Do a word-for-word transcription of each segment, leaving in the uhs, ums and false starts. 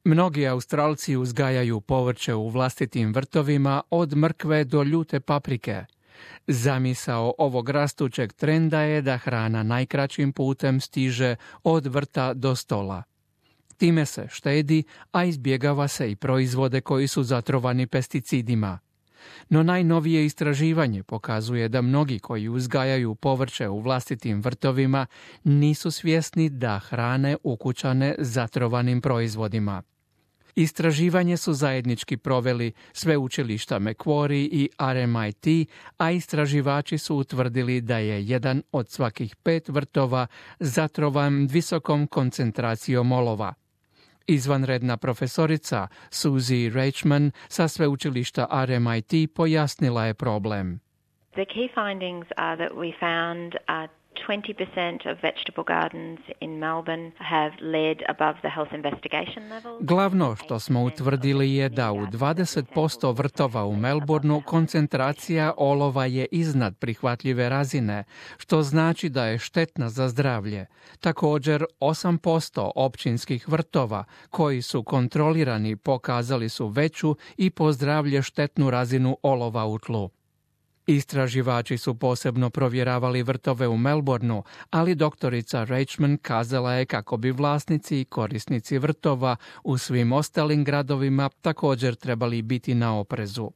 Mnogi Australci uzgajaju povrće u vlastitim vrtovima od mrkve do ljute paprike. Zamisao ovog rastućeg trenda je da hrana najkraćim putem stiže od vrta do stola. Time se štedi, a izbjegava se i proizvode koji su zatrovani pesticidima. No najnovije istraživanje pokazuje da mnogi koji uzgajaju povrće u vlastitim vrtovima nisu svjesni da hrane ukućane zatrovanim proizvodima. Istraživanje su zajednički proveli sveučilišta Macquarie i R M I T, a istraživači su utvrdili da je jedan od svakih pet vrtova zatrovan visokom koncentracijom olova. Izvanredna profesorica Susie Reichman sa sveučilišta R M I T pojasnila je problem. The key findings are that we found uh, twenty percent of vegetable gardens in Melbourne have lead above the health investigation level. Glavno što smo utvrdili je da u dvadeset posto vrtova u Melbourneu koncentracija olova je iznad prihvatljive razine, što znači da je štetna za zdravlje. Također, osam posto općinskih vrtova koji su kontrolirani pokazali su veću i po zdravlje štetnu razinu olova u tlu. Istraživači su posebno provjeravali vrtove u Melbourneu, ali doktorica Reichman kazala je kako bi vlasnici i korisnici vrtova u svim ostalim gradovima također trebali biti na oprezu.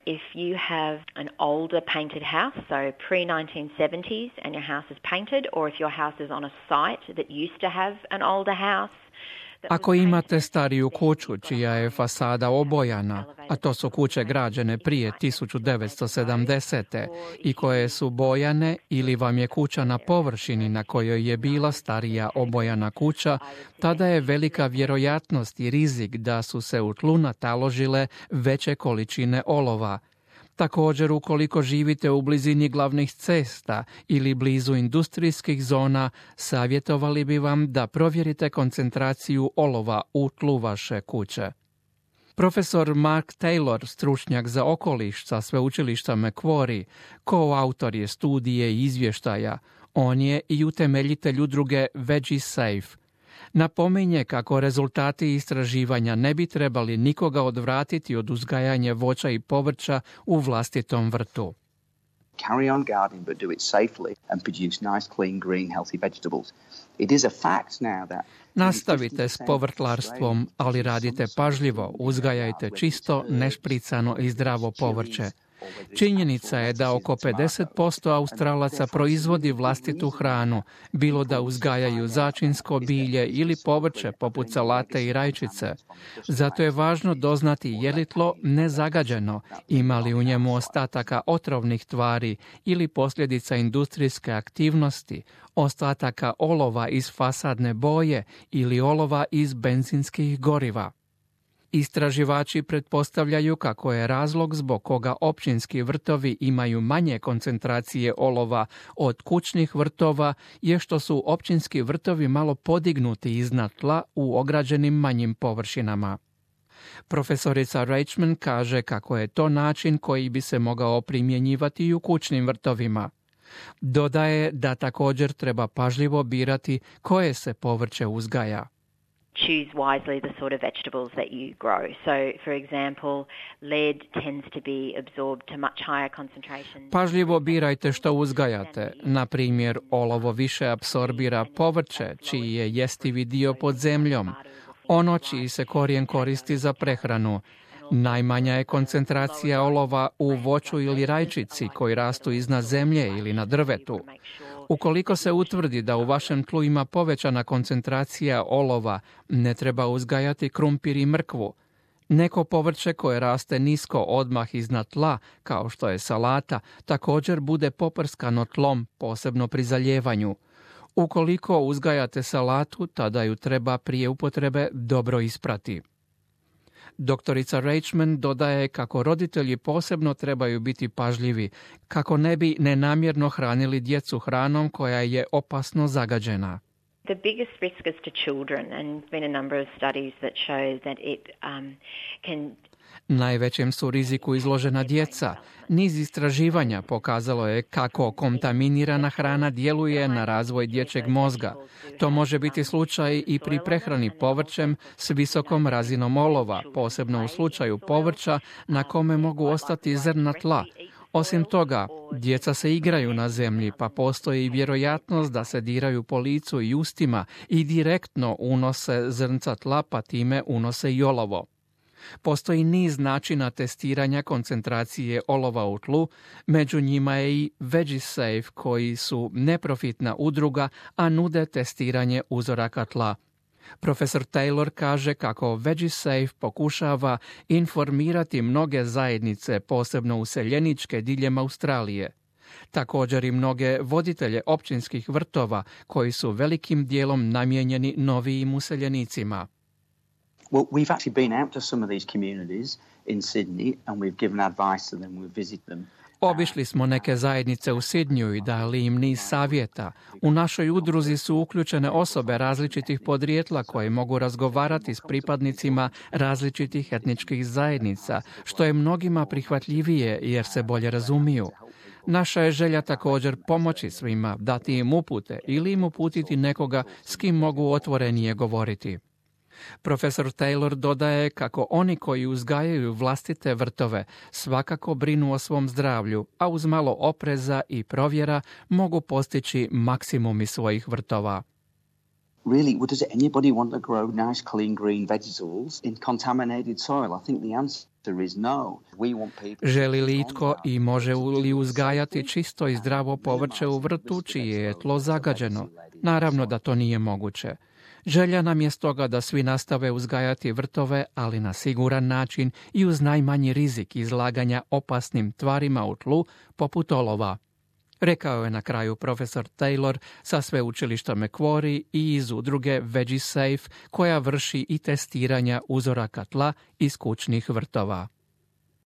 If you have an older painted house, so pre nineteen seventies, and your house is painted, or if your house is on a site that used to have an older house, ako imate stariju kuću čija je fasada obojana, a to su kuće građene prije tisuću devetsto sedamdesete i koje su bojane, ili vam je kuća na površini na kojoj je bila starija obojana kuća, tada je velika vjerojatnost i rizik da su se u tlu nataložile veće količine olova. Također, ukoliko živite u blizini glavnih cesta ili blizu industrijskih zona, savjetovali bi vam da provjerite koncentraciju olova u tlu vaše kuće. Profesor Mark Taylor, stručnjak za okoliš sa sveučilišta Macquarie, koautor je studije i izvještaja. On je i utemeljitelj udruge Veggie Safe. Napominje kako rezultati istraživanja ne bi trebali nikoga odvratiti od uzgajanja voća i povrća u vlastitom vrtu. Carry on gardening, but do it safely and produce nice, clean, green, healthy vegetables. It is a fact now that nastavite s povrtlarstvom, ali radite pažljivo, uzgajajte čisto, nešpricano i zdravo povrće. Činjenica je da oko pedeset posto Australaca proizvodi vlastitu hranu, bilo da uzgajaju začinsko bilje ili povrće poput salate i rajčice. Zato je važno doznati je li tlo nezagađeno, ima li u njemu ostataka otrovnih tvari ili posljedica industrijske aktivnosti, ostataka olova iz fasadne boje ili olova iz benzinskih goriva. Istraživači pretpostavljaju kako je razlog zbog koga općinski vrtovi imaju manje koncentracije olova od kućnih vrtova je što su općinski vrtovi malo podignuti iznad tla u ograđenim manjim površinama. Profesorica Reichman kaže kako je to način koji bi se mogao primjenjivati i u kućnim vrtovima. Dodaje da također treba pažljivo birati koje se povrće uzgaja. Choose wisely the sort of vegetables that you grow. So, for example, lead tends to be absorbed to much higher concentrations. Pažljivo birajte što uzgajate. Na primjer, olovo više apsorbira povrće, čiji je jestivi dio pod zemljom. Ono čiji se korijen koristi za prehranu. Najmanja je koncentracija olova u voću ili rajčici koji rastu iznad zemlje ili na drvetu. Ukoliko se utvrdi da u vašem tlu ima povećana koncentracija olova, ne treba uzgajati krumpir i mrkvu. Neko povrće koje raste nisko odmah iznad tla, kao što je salata, također bude poprskano tlom, posebno pri zaljevanju. Ukoliko uzgajate salatu, tada ju treba prije upotrebe dobro isprati. Doktorica Reichman dodaje kako roditelji posebno trebaju biti pažljivi, kako ne bi nenamjerno hranili djecu hranom koja je opasno zagađena. The biggest risk is to children, and there's been a number of studies that show that it um, can Najvećem su riziku izložena djeca. Niz istraživanja pokazalo je kako kontaminirana hrana djeluje na razvoj dječjeg mozga. To može biti slučaj i pri prehrani povrćem s visokom razinom olova, posebno u slučaju povrća na kome mogu ostati zrna tla. Osim toga, djeca se igraju na zemlji, pa postoji vjerojatnost da se diraju po licu i ustima i direktno unose zrnca tla, pa time unose i olovo. Postoji niz načina testiranja koncentracije olova u tlu, među njima je i VegiSafe, koji su neprofitna udruga, a nude testiranje uzoraka tla. Profesor Taylor kaže kako VegiSafe pokušava informirati mnoge zajednice, posebno useljeničke diljem Australije. Također i mnoge voditelje općinskih vrtova, koji su velikim dijelom namijenjeni novijim useljenicima. Well, we've actually been out to some of these communities in Sydney and we've given advice to them, we've visited them. Obišli smo neke zajednice u Sidniju i dali im niz savjeta. U našoj udruzi su uključene osobe različitih podrijetla koje mogu razgovarati s pripadnicima različitih etničkih zajednica, što je mnogima prihvatljivije jer se bolje razumiju. Naša je želja također pomoći svima, dati im upute ili im uputiti nekoga s kim mogu otvorenije govoriti. Profesor Taylor dodaje kako oni koji uzgajaju vlastite vrtove svakako brinu o svom zdravlju, a uz malo opreza i provjera mogu postići maksimum iz svojih vrtova. Really, does anybody want to grow nice, clean, green vegetables in contaminated soil? I think the answer is no. We want people... Želi li itko i može li uzgajati čisto i zdravo povrće u vrtu čije je tlo zagađeno? Naravno da to nije moguće. Želja nam je stoga da svi nastave uzgajati vrtove, ali na siguran način i uz najmanji rizik izlaganja opasnim tvarima u tlu, poput olova. Rekao je na kraju profesor Taylor sa sveučilišta Macquarie i iz udruge VegiSafe, koja vrši i testiranja uzoraka tla iz kućnih vrtova.